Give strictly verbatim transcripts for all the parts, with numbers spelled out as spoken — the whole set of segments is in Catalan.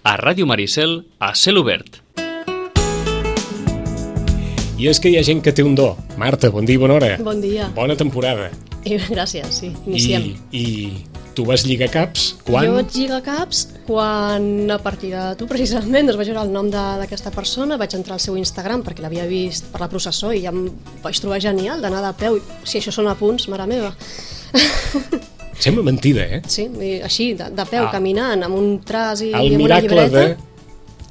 a Ràdio Maricel, a Cel Obert. I és que hi ha gent que té un do. Marta, bon dia i bona hora. Bon dia. Bona temporada. I, gràcies, sí, iniciem. I, i tu vas lligar caps quan? Jo vaig lligar caps quan, a partir de tu precisament, doncs vaig veure el nom d'aquesta persona, vaig entrar al seu Instagram perquè l'havia vist per la processó i ja em vaig trobar genial d'anar de peu. Si això són apunts, mare meva. Sembla mentida, eh? Sí, i així, de, de peu, ah. caminant, amb un traç i el amb una llibreta. De...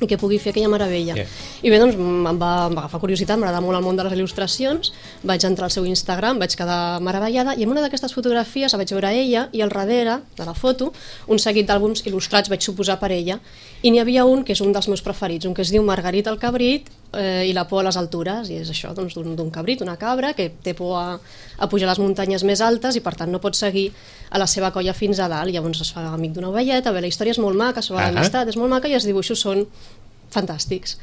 i que pugui fer aquella meravella. Yeah. I bé, doncs em va, em va agafar curiositat, m'agrada molt el món de les il·lustracions, vaig entrar al seu Instagram, vaig quedar meravellada, i en una d'aquestes fotografies vaig veure ella, i al darrere de la foto, un seguit d'àlbums il·lustrats, vaig suposar per ella, i n'hi havia un que és un dels meus preferits, un que es diu Margarita el cabrit eh, i la por a les altures, i és això, doncs, d'un cabrit, una cabra, que té por a, a pujar a les muntanyes més altes i per tant no pot seguir a la seva colla fins a dalt, llavors es fa amic d'una ovelleta, bé, la història és molt maca, sobre l'amistat, és molt maca, i els dibuixos són fantàstics.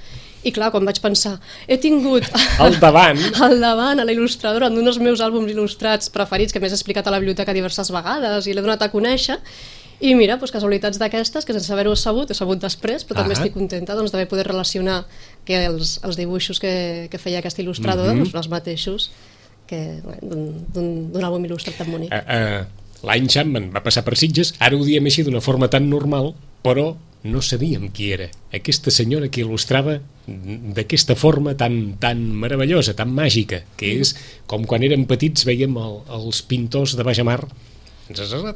I clar, quan vaig pensar, he tingut al davant al davant a la il·lustradora d'un dels meus àlbums il·lustrats preferits, que més he explicat a la biblioteca diverses vegades i l'he donat a conèixer, i mira, doncs, casualitats d'aquestes, que sense haver-ho sabut, he sabut després, però ah també estic contenta doncs, d'haver poder relacionar que els, els dibuixos que, que feia aquesta il·lustradora mm-hmm. doncs, els mateixos que d'un àlbum il·lustrat tan bonic. Uh, uh, L'any Chapman va passar per Sitges, ara ho diem així d'una forma tan normal, però no sabíem qui era aquesta senyora que il·lustrava d'aquesta forma tan, tan meravellosa, tan màgica, que és com quan érem petits veiem el, els pintors de Bajamar,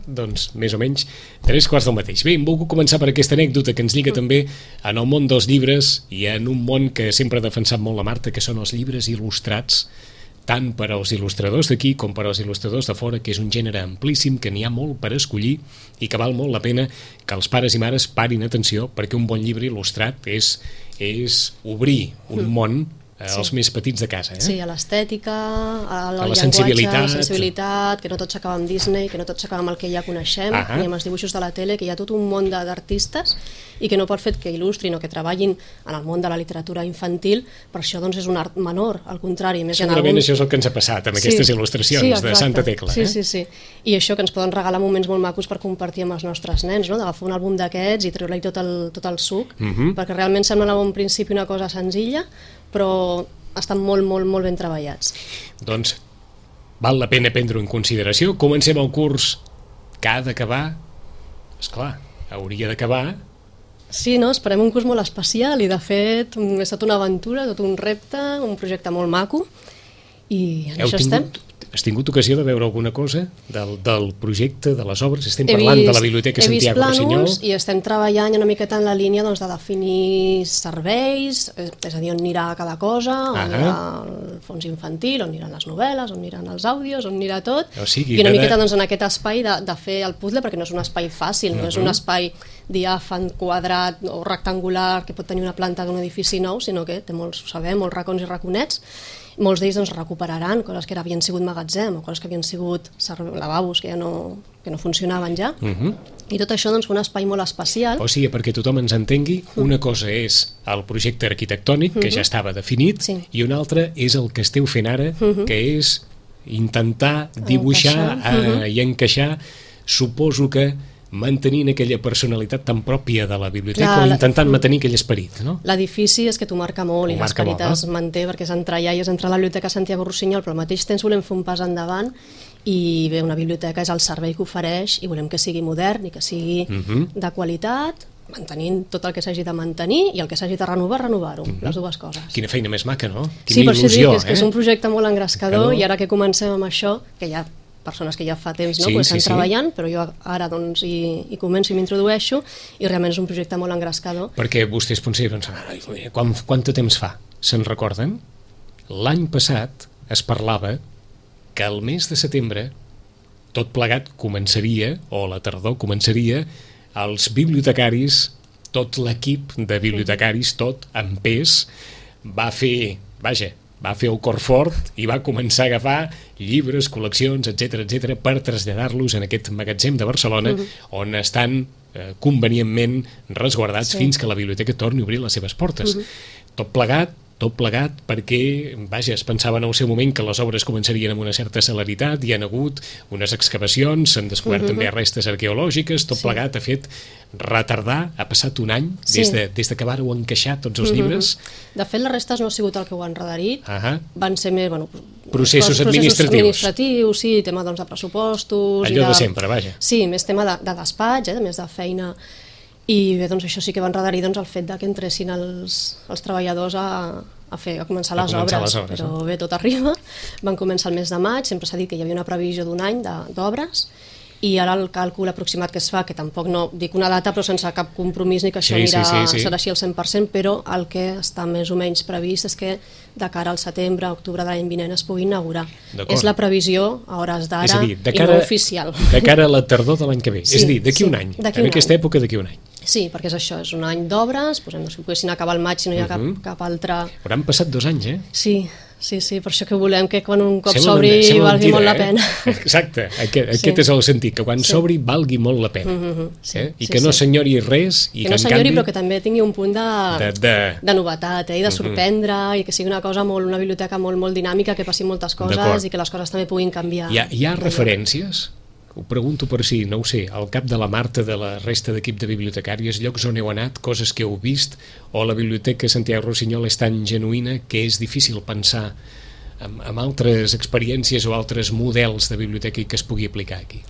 doncs més o menys tres quarts del mateix. Bé, em vull començar per aquesta anècdota que ens lliga també en el món dels llibres i en un món que sempre ha defensat molt la Marta, que són els llibres il·lustrats, tant per als il·lustradors d'aquí com per als il·lustradors de fora, que és un gènere amplíssim, que n'hi ha molt per escollir i que val molt la pena que els pares i mares parin atenció, perquè un bon llibre il·lustrat és, és obrir un món als sí. més petits de casa. Eh? Sí, a l'estètica, al a la llenguatge, sensibilitat. a la sensibilitat, que no tot s'acaba amb Disney, que no tot s'acaba amb el que ja coneixem, ah ni amb els dibuixos de la tele, que hi ha tot un món d'artistes i que no pot fer que il·lustrin o que treballin en el món de la literatura infantil, per això doncs, és un art menor, al contrari. Més Segurament alguns... això és el que ens ha passat amb sí, aquestes il·lustracions sí, de Santa Tecla. Sí, eh? sí, sí. I això que ens poden regalar moments molt macos per compartir amb els nostres nens, no? D'agafar un àlbum d'aquests i treure-li tot, el, tot el suc, uh-huh. perquè realment sembla a bon principi una cosa senzilla, però estan molt, molt, molt ben treballats. Doncs val la pena prendre-ho en consideració. Comencem el curs que ha d'acabar. Esclar, hauria d'acabar. Sí, no? Esperem un curs molt especial i de fet ha estat una aventura, tot un repte, un projecte molt maco i en Heu això tingut, estem. Has tingut ocasió de veure alguna cosa del, del projecte, de les obres? Estem parlant vist, de la Biblioteca Santiago Rossinyol. I estem treballant una miqueta en la línia doncs, de definir serveis, és a dir, on anirà cada cosa, on ah anirà el fons infantil, on aniran les novel·les, on aniran els àudios, on anirà tot, o sigui, i una cada... miqueta doncs, en aquest espai de, de fer el puzzle, perquè no és un espai fàcil, no uh-huh. és un espai diàfan, quadrat o rectangular que pot tenir una planta d'un edifici nou, sinó que té molts, ho sabem, molts racons i raconets. Molts d'ells doncs, recuperaran coses que havien sigut magatzem o coses que havien sigut lavabos que ja no, que no funcionaven ja. Uh-huh. I tot això doncs, un espai molt especial. O sigui, perquè tothom ens entengui, una cosa és el projecte arquitectònic, que uh-huh. ja estava definit, sí. i una altra és el que esteu fent ara, uh-huh. que és intentar dibuixar encaixar. Uh-huh. i encaixar, suposo que mantenint aquella personalitat tan pròpia de la biblioteca. Clar, o intentant la... mantenir aquell esperit, no? L'edifici és que t'ho marca molt ho i l'esperit es no? manté perquè és entrar allà i és entrar a la Biblioteca Santiago Rossinyol, però al mateix temps volem fer un pas endavant i bé, una biblioteca és el servei que ofereix i volem que sigui modern i que sigui uh-huh. de qualitat, mantenint tot el que s'hagi de mantenir i el que s'hagi de renovar, renovar-ho, uh-huh. les dues coses. Quina feina més maca, no? Quina sí, per il·lusió, això dic que és, eh? que és un projecte molt engrescador i ara que comencem amb això, que ja persones que ja fa temps no? sí, pues estan sí, treballant, sí. però jo ara doncs, hi, hi començo i m'introdueixo i realment és un projecte molt engrescador. Perquè vostès potser pensen, quan, quant de temps fa? Se'n recorden? L'any passat es parlava que el mes de setembre tot plegat començaria, o la tardor començaria, els bibliotecaris, tot l'equip de bibliotecaris, tot en pes, va fer, vaja, va fer el cor fort i va començar a agafar llibres, col·leccions, etcètera, etcètera, per traslladar-los en aquest magatzem de Barcelona, uh-huh. on estan eh, convenientment resguardats sí. fins que la biblioteca torni a obrir les seves portes. Uh-huh. Tot plegat, tot plegat perquè, vaja, es pensava en el seu moment que les obres començarien amb una certa celeritat, hi ha hagut unes excavacions, s'han descobert uh-huh. també restes arqueològiques, tot sí. plegat ha fet retardar, ha passat un any sí. des, de, des de que vàreu encaixar tots els uh-huh. llibres. De fet, les restes no ha sigut el que ho han redarit, uh-huh. van ser més, bueno, processos, processos administratius. administratius, sí, tema doncs, de pressupostos... Allò i de, de sempre, vaja. Sí, més tema de, de despatx, eh, més de feina. I bé, doncs això sí que van redarir doncs, el fet de que entressin els, els treballadors a, a, fer, a començar, a les, començar obres, les obres, però eh? bé, tot arriba. Van començar el mes de maig, sempre s'ha dit que hi havia una previsió d'un any d'obres, i ara el càlcul aproximat que es fa, que tampoc no dic una data però sense cap compromís ni que això sí, anirà, sí, sí, sí. serà així al cent per cent, però el que està més o menys previst és que de cara al setembre, octubre de l'any vinent es pugui inaugurar. És la previsió a hores d'ara i no oficial. De cara a la tardor de l'any que ve, sí, és a dir, d'aquí sí, un any, en aquesta època d'aquí un any. Sí, perquè és això, és un any d'obres, posem, no sé, poguessin acabar el maig si no hi ha uh-huh. cap, cap altre... Però han passat dos anys, eh? Sí, sí, sí, per això que volem que quan un cop s'obri valgui molt la pena. Eh? Exacte, aquest, aquest sí. és el sentit, que quan s'obri sí. valgui molt la pena. Uh-huh. sí, eh? I sí, que no sí. s'enyori res. I que, que no s'enyori, canvi... però que també tingui un punt de, de, de... de novetat, eh? I de sorprendre, uh-huh. i que sigui una cosa molt, una biblioteca molt, molt dinàmica, que passin moltes coses i que les coses també puguin canviar. Hi ha, hi ha referències? Ho pregunto per si, no ho sé, al cap de la Marta, de la resta d'equip de bibliotecàries, llocs on heu anat, coses que heu vist, o la biblioteca Santiago Rossinyol és tan genuïna que és difícil pensar en, en altres experiències o altres models de biblioteca que es pugui aplicar aquí?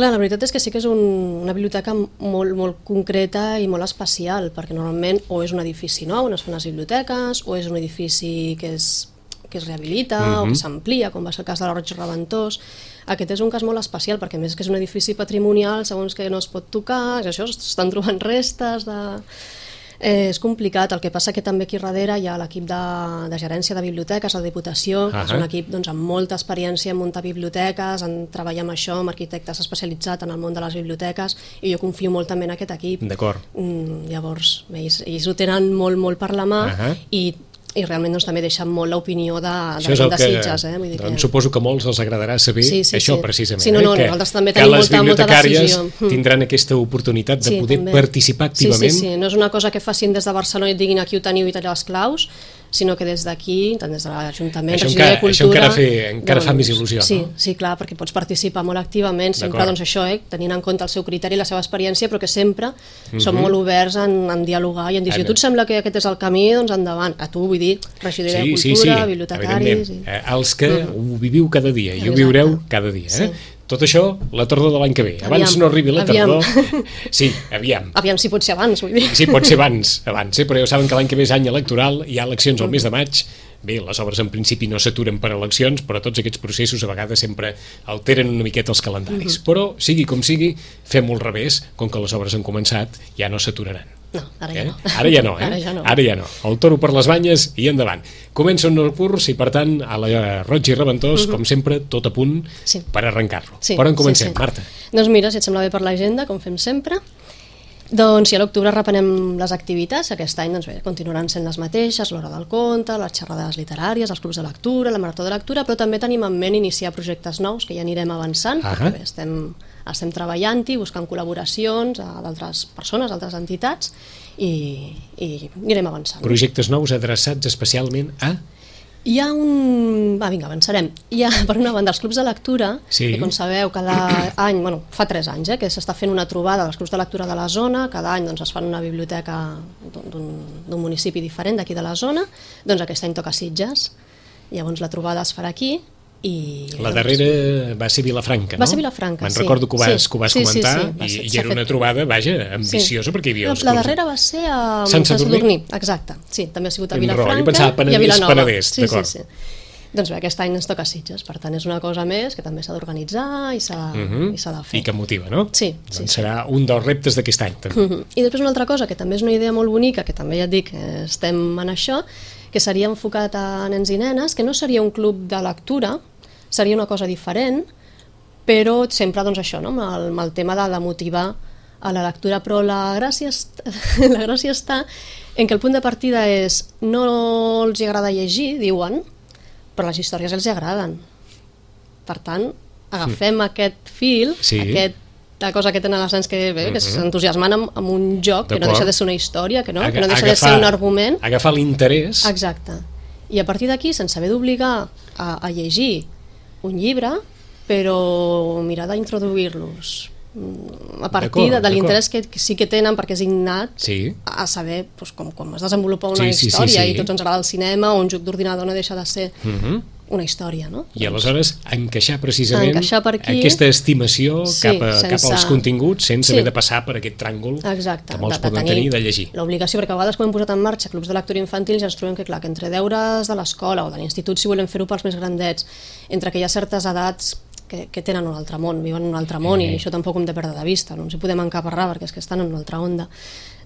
Clar, la veritat és que sí que és un, una biblioteca molt, molt concreta i molt especial, perquè normalment o és un edifici nou on es fan les biblioteques, o és un edifici que es, que es rehabilita uh-huh. o que s'amplia, com va ser el cas de la Roig Reventós. Aquest és un cas molt especial perquè, a més, que és un edifici patrimonial, segons que no es pot tocar, és això, estan trobant restes de... Eh, és complicat, el que passa que també aquí darrere hi ha l'equip de, de gerència de biblioteques, la Diputació, uh-huh. que és un equip doncs, amb molta experiència en muntar biblioteques, en treballar amb això, amb arquitectes especialitzats en el món de les biblioteques, i jo confio molt també en aquest equip. D'acord. Mm, llavors, ells, ells ho tenen molt, molt per la mà, uh-huh. i i realment doncs, també deixen molt l'opinió de, de, de Sitges. Eh? Vull dir doncs, que... Suposo que molts els agradarà saber sí, sí, això, sí. precisament. Sí, no, no, eh? que, nosaltres també tenim molta, molta decisió. Que les bibliotecàries tindran aquesta oportunitat de sí, poder també. participar activament. Sí, sí, sí, no és una cosa que facin des de Barcelona i et diguin aquí ho teniu i talleu les claus, sinó que des d'aquí, tant des de l'Ajuntament, això Regidoria de Cultura... Això encara, fe, encara doncs, fa més il·lusió, sí, no? Sí, clar, perquè pots participar molt activament, sempre doncs això, eh, tenint en compte el seu criteri i la seva experiència, però que sempre uh-huh. som molt oberts en, en dialogar i en dir, si a tu et sembla que aquest és el camí, doncs endavant. A tu, vull dir, Regidoria sí, de Cultura, sí, sí, bibliotecaris... I... Eh, els que uh-huh. ho viviu cada dia i ho viureu cada dia, eh? Sí. Tot això, la tardor de l'any que ve. Abans aviam, no arribi la tardor... Aviam. Sí, aviam. Aviam si pot ser abans, vull dir. Sí, pot ser abans, abans eh? Però ja saben que l'any que ve és any electoral, hi ha eleccions al mes de maig. Bé, les obres en principi no s'aturen per eleccions, però tots aquests processos a vegades sempre alteren una miqueta els calendaris. Uh-huh. Però, sigui com sigui, fem-ho al revés, com que les obres han començat, ja no s'aturaran. No, ara ja eh? no. Ara ja no, eh? Ara ja no. Ara ja no. El toro per les banyes i endavant. Comença un nou curs i, per tant, a la Roig i Reventós, uh-huh. com sempre, tot a punt sí. per arrencar-lo. Sí, per on comencem, sí, sí. Marta? Doncs mira, si et sembla bé per l'agenda, com fem sempre, doncs si a l'octubre reprenem les activitats, aquest any doncs bé, continuaran sent les mateixes, l'hora del conte, les xerrades literàries, els clubs de lectura, la marató de lectura, però també tenim en ment iniciar projectes nous que ja anirem avançant, uh-huh. perquè bé, estem, estem treballant-hi, buscant col·laboracions d'altres persones, d'altres entitats, i, i anirem avançant. Projectes nous adreçats especialment a... Hi ha un... Va, vinga, avançarem. Hi ha, per una banda, els clubs de lectura, sí. que com sabeu, cada any, bueno, fa tres anys, eh, que s'està fent una trobada dels clubs de lectura de la zona, cada any doncs, es fan una biblioteca d'un municipi diferent d'aquí de la zona, doncs aquest any toca Sitges, llavors la trobada es farà aquí, i... La darrera va ser Vilafranca, no? Va ser Vilafranca, Me'n sí. recordo que ho vas, sí. que ho vas sí, comentar, sí, sí. i, i era una trobada, vaja, ambiciosa, sí. perquè hi havia els La darrera va ser a Sant Sadurní, exacte, sí, també ha sigut a Vilafranca i a Vilanova. Penedès, sí, sí, sí. Doncs bé, aquest any ens toca Sitges, per tant és una cosa més que també s'ha d'organitzar i s'ha uh-huh. de fer. I que motiva, no? Sí. Doncs sí, serà sí. un dels reptes d'aquest any, també. Uh-huh. I després una altra cosa, que també és una idea molt bonica, que també ja et dic que estem en això, que seria enfocat a nens i nenes, que no seria un club de lectura, seria una cosa diferent, però sempre doncs això, no? amb, el, amb el tema de, de motivar a la lectura, però la gràcia, est... la gràcia està en que el punt de partida és no els agrada llegir, diuen, però les històries els agraden. Per tant, agafem sí. aquest fil, sí. aquest aquesta cosa que tenen els nens que, bé, que Mhm. s'entusiasmen amb, amb un joc que no D'acord. deixa de ser una història, que no, Aga- que no deixa de agafar- ser un argument. Agafar l'interès. Exacte. I a partir d'aquí, sense haver d'obligar a, a llegir un llibre, però mirar d'introduir-los mm, a partir de, D'acord, de l'interès que, que sí que tenen, perquè és innat, Sí. a saber doncs, com, com es desenvolupa una Sí, sí, sí, història, sí. i tots ens agrada el cinema, o un joc d'ordinador no deixa de ser Mhm. una història, no? I aleshores encaixar precisament Encaixar per aquí. aquesta estimació Sí, cap, a, cap sense- als continguts sense Sí. haver de passar per aquest tràngol Exacte, que molts de- de poden tenir de llegir. l'obligació, perquè a vegades quan hem posat en marxa clubs de lectura infantil ja ens trobem que, clar, que entre deures de l'escola o de l'institut, si volem fer-ho pels més grandets, entre que hi ha certes edats que, que tenen un altre món, viuen en un altre món, Eh. i això tampoc ho hem de perdre de vista, no ens hi podem encaparrar perquè és que estan en una altra onda.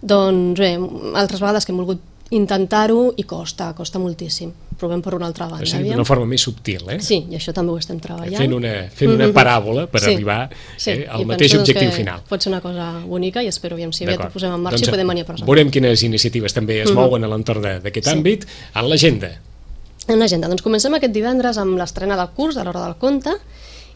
Doncs bé, altres vegades que hem volgut intentar-ho i costa, costa moltíssim. Provem per una altra banda. O sigui, aviam. d'una forma més subtil, eh? Sí, i això també ho estem treballant. Fent una, fent una Mhm. paràbola per Sí, arribar sí, eh, i al penso, mateix doncs, objectiu que final. Pot ser una cosa bonica i espero aviam si aviat ho D'acord. posem en marxa Doncs i podem venir a presentar. veurem quines iniciatives també es Mhm. mouen a l'entorn de- d'aquest Sí. àmbit. En l'agenda, En l'agenda, doncs comencem aquest divendres amb l'estrena del curs de l'Hora del Conte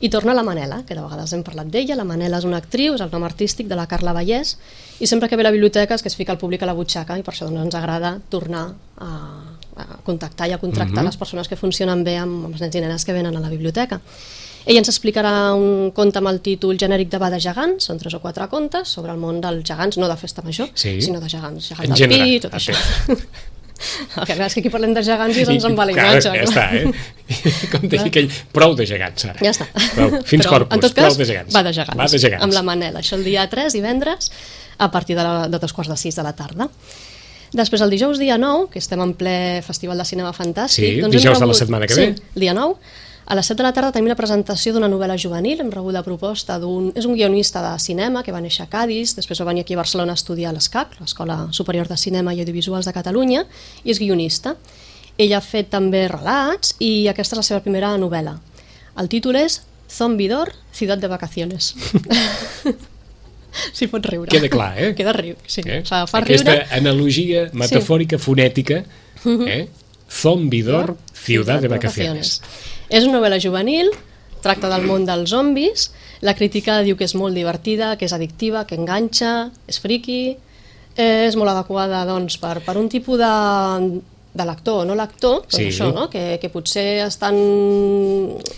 i torna la Manela, que de vegades hem parlat d'ella. La Manela és una actriu, és el nom artístic de la Carla Vallès, i sempre que ve a la biblioteca és que es fica el públic a la butxaca, i per això doncs, ens agrada tornar a, a contactar i a contractar Mhm. les persones que funcionen bé amb, amb els nens i nenes que venen a la biblioteca. Ella ens explicarà un conte amb el títol genèric de Va de gegants, són tres o quatre contes sobre el món dels gegants, no de festa major, Sí. sinó de gegants, gegants En del general, pi, tot a això. El que és que aquí parlem de gegants i se'ns en va la clar, imatge. ja clar. està, eh? Com deia aquell, prou de gegants ara. Ja està. Prou, fins Però, corpus, en tot prou cas, de gegants. va de gegants, Va de gegants. amb la Manela. Això el dia tres, divendres, a partir de, la, de dos quarts de sis de la tarda. Després, el dijous dia nou, que estem en ple Festival de Cinema Fantàstic... Sí, doncs hem dijous de la rebut- setmana que sí, ve. el dia nou. A les set de la tarda tenim la presentació d'una novel·la juvenil. Hem rebut la proposta d'un... És un guionista de cinema que va néixer a Cadis, després va venir aquí a Barcelona a estudiar a l'ESCAC, l'Escola Superior de Cinema i Audiovisuals de Catalunya, i és guionista. Ell ha fet també relats i aquesta és la seva primera novel·la. El títol és Zombidor, ciutat de vacaciones. Si pots riure. Queda clar, eh? Queda riu, sí. Eh? Fa, fa Aquesta riure. analogia metafòrica, fonètica, eh? Zombidor, ciutat de vacaciones. És una novel·la juvenil, tracta del món dels zombis, la crítica diu que és molt divertida, que és addictiva, que enganxa, és friqui, eh, és molt adequada doncs, per, per un tipus de, de lector o no lector, doncs Sí. això, no? que, que potser estan,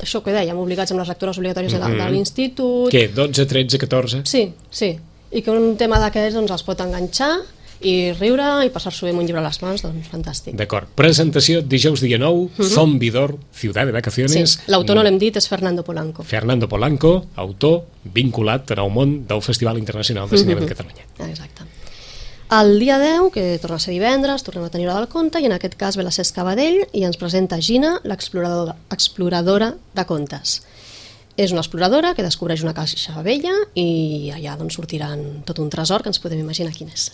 això que dèiem, obligats amb les lectures obligatòries de, de l'institut. Què, dotze, tretze, catorze? Sí, sí. I que un tema d'aquests doncs, els pot enganxar i riure i passar-s'ho bé amb un llibre a les mans, doncs fantàstic. D'acord. Presentació dijous dia nou, Zombidor, ciutat de Sí, vacaciones. l'autor no l'hem dit, és Fernando Polanco. Fernando Polanco, autor vinculat al món del Festival Internacional de Cinema de Catalunya. Exacte. El dia deu, que torna a ser divendres, tornem a tenir Hora del Conte, i en aquest cas ve la Cesc Cabadell i ens presenta Gina, l'exploradora exploradora de contes. És una exploradora que descobreix una caixa vella i allà doncs, sortiran tot un tresor que ens podem imaginar quin és.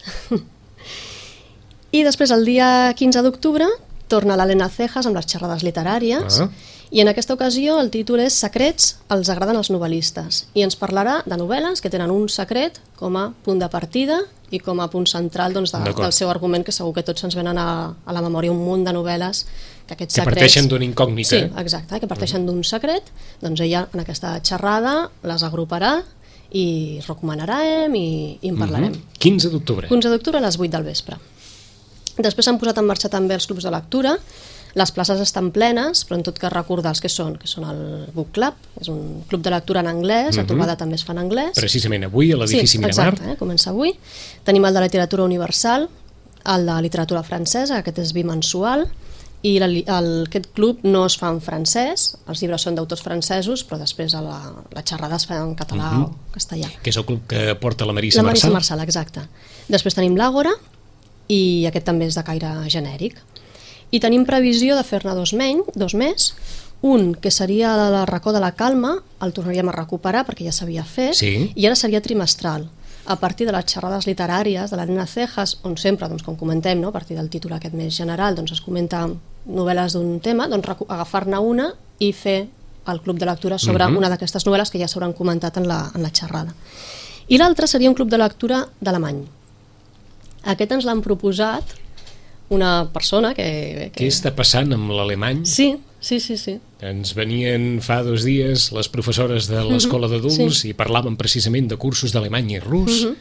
I després, el dia quinze d'octubre, torna l'Helena Cejas amb les xerrades literàries, Ah. i en aquesta ocasió el títol és Secrets els agraden als novel·listes, i ens parlarà de novel·les que tenen un secret com a punt de partida i com a punt central doncs, de, D'acord. del seu argument, que segur que tots ens venen a, a la memòria un munt de novel·les que aquests Que secrets... parteixen d'una incògnita. Sí, exacte, que parteixen d'un secret, doncs ella en aquesta xerrada les agruparà i recomanarem i, i en parlarem. quinze d'octubre. quinze d'octubre a les vuit del vespre. Després s'han posat en marxa també els clubs de lectura. Les places estan plenes, però en tot cas recordar els que són, que són el Book Club, és un club de lectura en anglès, la trobada també es fa en anglès. Precisament avui a l'edifici sí, Miramar. exacte, eh? Comença avui. Tenim el de literatura universal, el de literatura francesa, aquest és bimensual, i la, el, aquest club no es fa en francès, els llibres són d'autors francesos, però després a la, la xerrada es fa en català Mhm. o castellà. Que és el club que porta la Marissa La Marissa Marçal. Marçal, exacte. Després tenim l'Àgora, i aquest també és de caire genèric. I tenim previsió de fer-ne dos, menys, dos més. Un, que seria la racó de la calma, el tornaríem a recuperar perquè ja s'havia fet, Sí. i ara seria trimestral, a partir de les xerrades literàries de la Nena Cejas, on sempre, doncs, com comentem, no? A partir del títol aquest més general, doncs, es comenta novel·les d'un tema, doncs, agafar-ne una i fer el club de lectura sobre Mhm. una d'aquestes novel·les que ja s'hauran comentat en la, en la xerrada. I l'altre seria un club de lectura d'alemany. Aquest ens l'han proposat una persona que... que... Què està passant amb l'alemany? Sí, sí, sí, sí. Ens venien fa dos dies les professores de l'escola d'adults uh-huh. sí. i parlaven precisament de cursos d'alemany i rus. Uh-huh.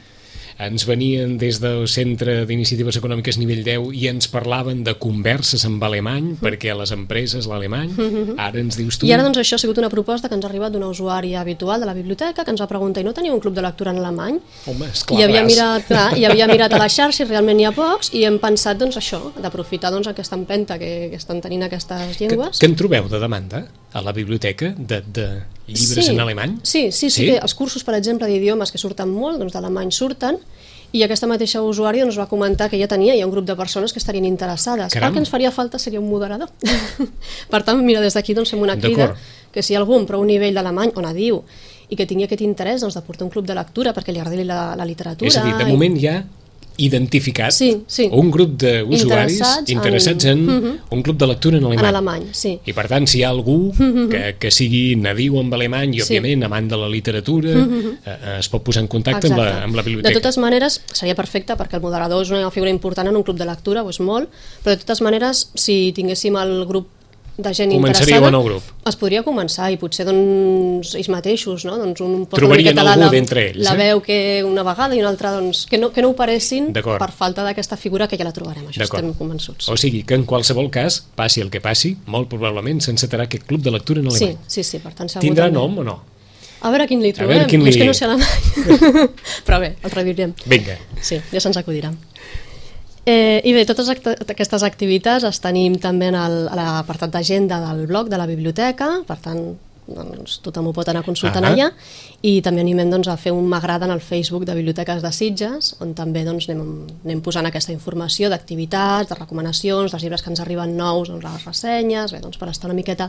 Ens venien des del Centre d'Iniciatives Econòmiques nivell deu i ens parlaven de converses amb alemany, uh-huh. perquè a les empreses l'alemany, uh-huh. ara ens dius tu... I ara doncs això ha sigut una proposta que ens ha arribat d'una usuària habitual de la biblioteca que ens va preguntar, i no teniu un club de lectura en alemany? Home, esclar, I havia mirat, clar, i havia mirat a la xarxa i realment n'hi ha pocs, i hem pensat doncs això, d'aprofitar doncs aquesta empenta que, que estan tenint aquestes llengües. Que, que en trobeu de demanda a la biblioteca de, de llibres sí, en alemany? Sí, sí, sí, sí, que els cursos, per exemple, d'idiomes que surten molt, doncs d'alemany surten, i aquesta mateixa usuària ens va comentar que ja tenia ja un grup de persones que estarien interessades. Caram. El que ens faria falta seria un moderador. Per tant, mira, des d'aquí doncs, fem una crida que si algú amb prou nivell d'alemany o nadiu i que tingui aquest interès doncs, de portar un club de lectura perquè li agradi la, la literatura... És a dir, de moment ja identificat sí, sí. un grup d'usuaris interessats, interessats en, en uh-huh. un club de lectura en alemany. En alemany, sí. I per tant, si hi ha algú uh-huh. que, que sigui nadiu amb alemany i, òbviament, sí. amant de la literatura, uh-huh. eh, es pot posar en contacte amb la, amb la biblioteca. De totes maneres, seria perfecte perquè el moderador és una figura important en un club de lectura, ho és molt, però de totes maneres, si tinguéssim el grup de gent començaríeu interessada, en el grup. Es podria començar i potser doncs, ells mateixos, no? Doncs un trobarien algú la, d'entre ells. La eh? veu que una vegada i una altra, doncs, que no, que no operessin per falta d'aquesta figura que ja la trobarem, això estem convençuts. O sigui que en qualsevol cas, passi el que passi, molt probablement s'encetarà aquest club de lectura en alemany. Sí, sí, sí, per tant segur. Tindrà també. nom o no? A veure quin li trobem, quin li... és que no sé alemany. Però bé, el reviurem. Vinga. Sí, ja se'ns acudirà. Eh, I bé, totes act aquestes activitats les tenim també en el, a l'apartat d'agenda del blog de la biblioteca, per tant doncs, tothom ho pot anar consultant uh-huh. allà, i també animem doncs, a fer un m'agrada en el Facebook de Biblioteques de Sitges, on també doncs, anem, anem posant aquesta informació d'activitats, de recomanacions, dels llibres que ens arriben nous, doncs, les ressenyes, bé, doncs, per estar una miqueta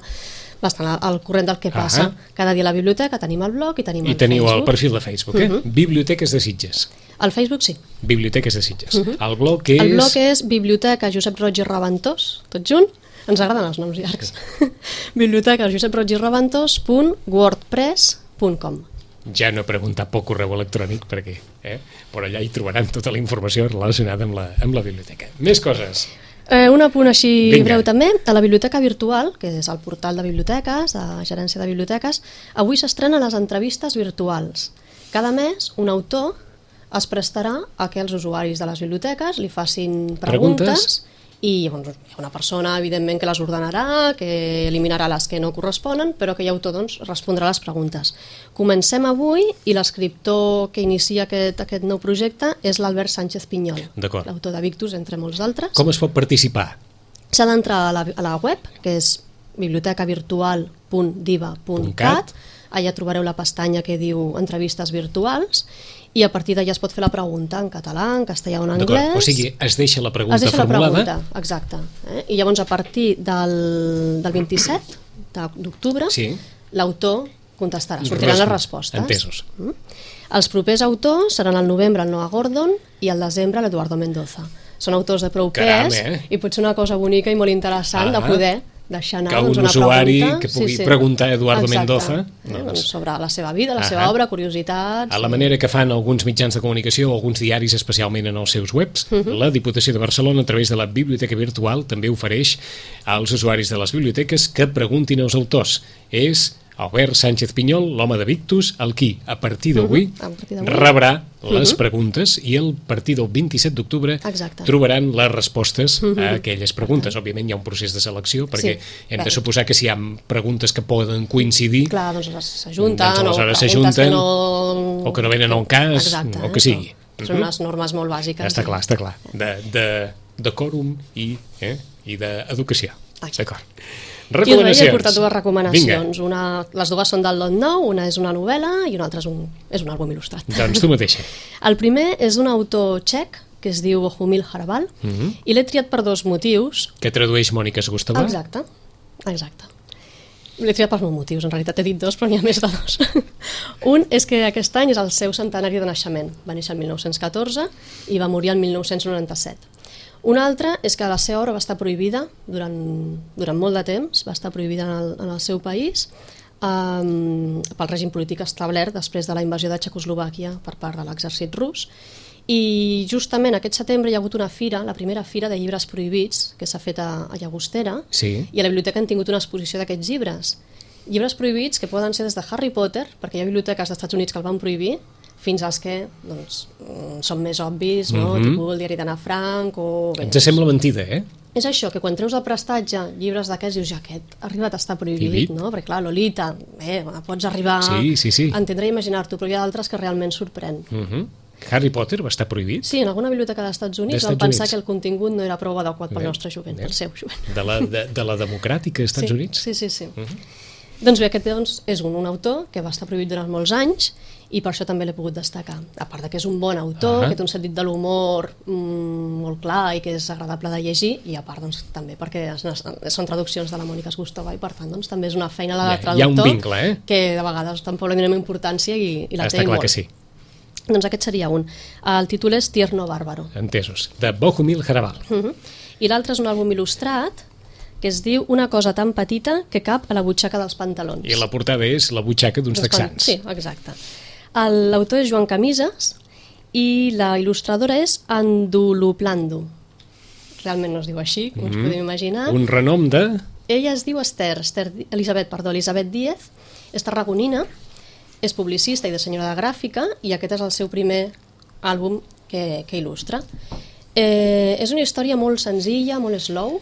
bastant al corrent del que passa. Uh-huh. Cada dia a la biblioteca tenim el blog i tenim I el teniu Facebook. el perfil de Facebook, eh? Uh-huh. Biblioteques de Sitges. Al Facebook sí. Biblioteques de Sitges. Uh-huh. El blog és... El blog és Biblioteca Josep Roig i Reventós, tot junt. Ens agraden els noms llargs. Biblioteca Josep Roig i Reventós punt wordpress punt com. Ja no he preguntat pel correu electrònic perquè, eh? però allà hi trobaran tota la informació relacionada amb la, amb la biblioteca. Més coses. Eh, un apunt així Vinga. breu també, a la Biblioteca Virtual, que és el portal de biblioteques, de gerència de biblioteques, avui s'estrenen les entrevistes virtuals. Cada mes un autor es prestarà a que els usuaris de les biblioteques li facin preguntes, preguntes? i doncs, hi ha una persona evidentment que les ordenarà, que eliminarà les que no corresponen, però que l'autor doncs, respondrà a les preguntes. Comencem avui i l'escriptor que inicia aquest, aquest nou projecte és l'Albert Sánchez Pinyol, l'autor de Victus, entre molts d'altres. Com es pot participar? S'ha d'entrar a, la, a la web, que és biblioteca virtual punt diva punt cat, allà trobareu la pestanya que diu entrevistes virtuals, i a partir d'allà es pot fer la pregunta en català, en castellà o en anglès. O sigui, es deixa la pregunta es deixa formulada. La pregunta, exacte. Eh? I llavors a partir del, del vint-i-set d'octubre sí. l'autor contestarà, sortiran les respostes. Entesos. Mm? Els propers autors seran al novembre el Noah Gordon i al desembre l'Eduardo Mendoza. Són autors de prou Caram, pes eh? i pot ser una cosa bonica i molt interessant ah. de poder deixar anar que un doncs, una usuari pregunta, que pugui sí, sí. preguntar a Eduardo Exacte. Mendoza eh, doncs, sobre la seva vida, la seva obra, curiositats... A la manera que fan alguns mitjans de comunicació o alguns diaris, especialment en els seus webs, uh-huh. la Diputació de Barcelona, a través de la Biblioteca Virtual, també ofereix als usuaris de les biblioteques que preguntin als autors. És Albert Sánchez Pinyol, l'home de Victus, el qui, a partir d'avui, uh-huh. rebrà les uh-huh. preguntes i a partir del vint-i-set d'octubre trobaran les respostes uh-huh. a aquelles preguntes. Uh-huh. Òbviament hi ha un procés de selecció perquè sí. hem de suposar que si hi ha preguntes que poden coincidir, clar, doncs s'ajunten, doncs aleshores s'ajunten no... o que no venen al cas, exacte, o que sigui. Uh-huh. Són unes normes molt bàsiques. Està clar, està clar. De, de, de quòrum i, eh, i d'educació. D'acord. Recomanacions. I he portat dues recomanacions. Una, les dues són del Lot Nou, una és una novel·la i una altra és un, és un àlbum il·lustrat. Doncs tu mateixa. El primer és un autor txec que es diu Bohumil Hrabal uh-huh. i l'he triat per dos motius. Que tradueix Mònica Segustova. Exacte, exacte. L'he triat per molts motius, en realitat he dit dos, però n'hi ha més de dos. Un és que aquest any és el seu centenari de naixement. Va néixer el mil nou-cents catorze i va morir el mil nou-cents noranta-set. Un altre és que la seva obra va estar prohibida durant, durant molt de temps, va estar prohibida en el, en el seu país um, pel règim polític establert després de la invasió de Txecoslovàquia per part de l'exèrcit rus I justament aquest setembre hi ha hagut una fira, la primera fira de llibres prohibits, que s'ha fet a, a Llagostera, sí. i a la biblioteca han tingut una exposició d'aquests llibres. Llibres prohibits que poden ser des de Harry Potter, perquè hi ha biblioteques dels Estats Units que el van prohibir, fins als que doncs, són més obvis, no? Mm-hmm. Tipus el diari d'Anna Frank o... Bé, ens sembla mentida, eh? És això, que quan treus el prestatge llibres d'aquests dius, ja aquest ha arribat a estar prohibit, Prohibit. no? Perquè clar, Lolita, bé, pots arribar Sí, sí, sí. a entendre i imaginar-t'ho, però hi ha d'altres que realment sorprèn. Mm-hmm. Harry Potter va estar prohibit? Sí, en alguna biblioteca dels Estats Units D'Estats van pensar Units. que el contingut no era prou adequat pel Bé, nostre jovent, bé. pel seu jovent. De la, de, de la democràtica dels Estats sí, Units? Sí, sí, sí. Mm-hmm. Doncs bé, aquest doncs, és un, un autor que va estar prohibit durant molts anys i per això també l'he pogut destacar. A part de que és un bon autor, Ah. que té un sentit de l'humor mm, molt clar i que és agradable de llegir, i a part doncs, també perquè es, són traduccions de la Mònica Esgustova i per tant doncs, també és una feina la de Hi ha- hi ha un traductor vincle, eh? que de vegades tampoc li donem importància i, i la Està té clar molt. que sí. Doncs aquest seria un. El títol és Tierno Bárbaro. Entesos. De Bohumil Hrabal. Uh-huh. I l'altre és un àlbum il·lustrat que es diu Una cosa tan petita que cap a la butxaca dels pantalons. I la portada és la butxaca d'uns Dels pan- texans. Sí, exacte. El- L'autor és Joan Camises i la il·lustradora és Anduluplando. Realment no es diu així, com mm-hmm. ens podem imaginar. Un renom de... Ella es diu Esther, Esther Di- Elisabet, perdó, Elisabet Díez, és tarragonina, és publicista i dissenyadora gràfica i aquest és el seu primer àlbum que, que il·lustra. Eh, és una història molt senzilla, molt slow,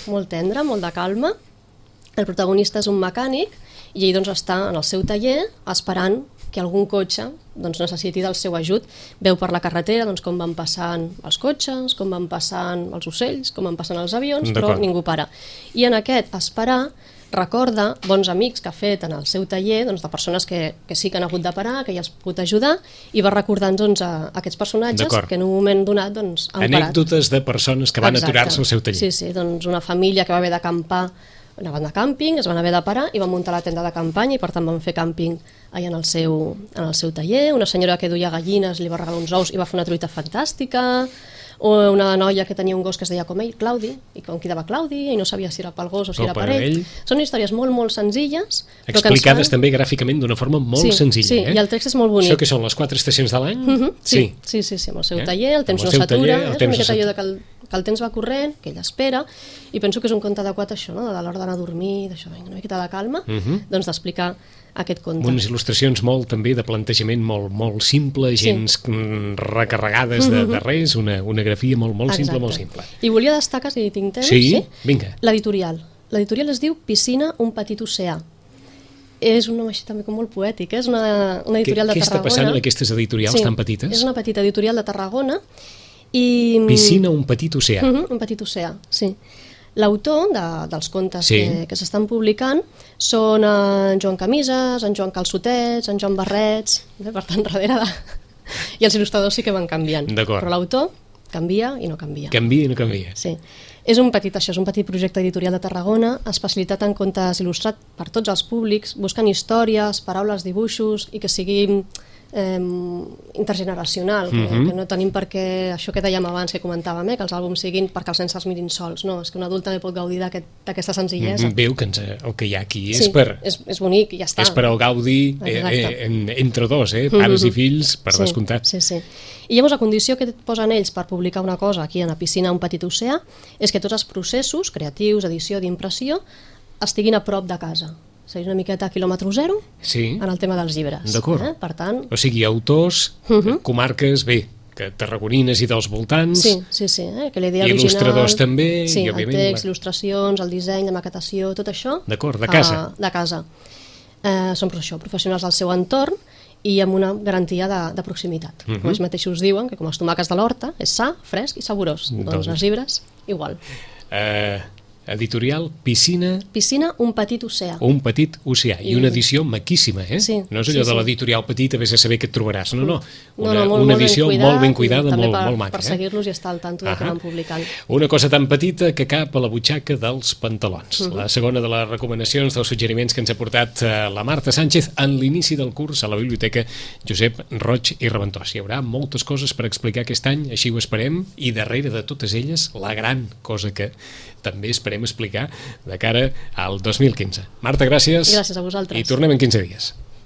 molt tendra, molt de calma. El protagonista és un mecànic i ell doncs, està en el seu taller esperant que algun cotxe doncs, necessiti del seu ajut. Veu per la carretera doncs, com van passant els cotxes, com van passant els ocells, com van passant els avions, però ningú para. I en aquest esperar recorda bons amics que ha fet en el seu taller, doncs, de persones que, que sí que han hagut de parar, que ja els ha pogut ajudar, i va recordant doncs, a, a aquests personatges que en un moment donat doncs, han parat. Anècdotes de persones que van Exacte. aturar-se al seu taller. Sí, sí, doncs una família que va haver d'acampar, anaven de càmping, es van haver de parar i van muntar la tenda de campanya i per tant van fer càmping allà en el seu, en el seu taller. Una senyora que duia gallines li va regalar uns ous i va fer una truita fantàstica. O una noia que tenia un gos que es deia com ell, Claudi, i com quedava Claudi, i no sabia si era pel gos o si O era per per ell. ell. Són històries molt, molt senzilles. però que ens Explicades fan- també gràficament d'una forma molt Sí, senzilla. sí, eh? i el text és molt bonic. Això que són les quatre estacions de l'any? Mhm, sí, sí, sí, sí, amb el seu Eh? taller, el temps Amb no el seu s'atura, taller, el eh? és temps una miqueta no allò de que el, que el temps va corrent, que ell espera, i penso que és un conte adequat a això, no? de l'hora d'anar a dormir, d'això, vinga, una miqueta de calma, Mhm. doncs d'explicar aquest conte. Unes il·lustracions molt també de plantejament molt, molt simple, gens mm, recarregades de, de res, una, una grafia molt, molt simple, Exacte. molt simple. I volia destacar, si tinc temps, Sí? Vinga. l'editorial. L'editorial es diu Piscina, un petit oceà. És un nom així també com molt poètic, eh? És una, una Què, editorial de què està Tarragona. passant en aquestes editorials Sí, tan petites? és una petita editorial de Tarragona i... Piscina, un petit oceà. Uh -huh, un petit oceà, sí. L'autor de, dels contes Sí. que, que s'estan publicant són en Joan Camises, en Joan Calçotets, en Joan Barrets, eh? Per tant, darrere de... I els il·lustradors sí que van canviant. D'acord. Però l'autor canvia i no canvia. Canvia i no canvia. Sí. És un petit, això, és un petit projecte editorial de Tarragona, especialitat en contes il·lustrat per tots els públics, buscant històries, paraules, dibuixos, i que sigui eh, intergeneracional, Mhm. que, que no tenim per què, això que dèiem abans, que comentàvem, eh, que els àlbums siguin perquè els nens els mirin sols, no, és que un adult també pot gaudir d'aquest- d'aquesta senzillesa. Mm, Veu que ens, el que hi ha aquí és Sí, per... és, és bonic i ja està. És per al gaudi eh, Exacte. eh, en, entre dos, eh? Pares i fills, per sí, descomptat. Sí, sí. I llavors la condició que et posen ells per publicar una cosa aquí a la piscina un petit oceà és que tots els processos creatius, edició, d'impressió, estiguin a prop de casa. És a dir, una miqueta a quilòmetre zero Sí, en el tema dels llibres. d'acord. Eh? Per tant, O sigui, autors, Mhm. comarques, bé, que tarragonines i dels voltants, sí, sí, sí, eh? que la idea Il·lustradors original... també, sí, i, òbviament, el text, la- il·lustracions, el disseny, la maquetació, tot això... D'acord, de casa. Uh, de casa. Eh, són per això, professionals del seu entorn i amb una garantia de, de proximitat. Mhm. Com ells mateixos diuen, que com els tomàquets de l'horta, és sa, fresc i saborós. Doncs, Doncs- els llibres, igual. eh, editorial Piscina, Piscina, un petit oceà. un petit oceà, i I- una edició maquíssima, eh? Sí, no és allò sí, de sí. l'editorial petita, vés a saber què et trobaràs, no, no, una, no, no, molt, una molt edició ben cuidat, molt ben cuidada, i també molt, per, molt maca. per seguir-los i estar al tanto de Ahà. que van publicant. Una cosa tan petita que cap a la butxaca dels pantalons. Mhm. La segona de les recomanacions, dels suggeriments que ens ha portat eh, la Marta Sánchez en l'inici del curs a la Biblioteca Josep Roig i Reventós. Hi haurà moltes coses per explicar aquest any, així ho esperem, i darrere de totes elles, la gran cosa que també esperem explicar de cara al dos mil quinze. Marta, gràcies. Gràcies a vosaltres. I tornem en quinze dies.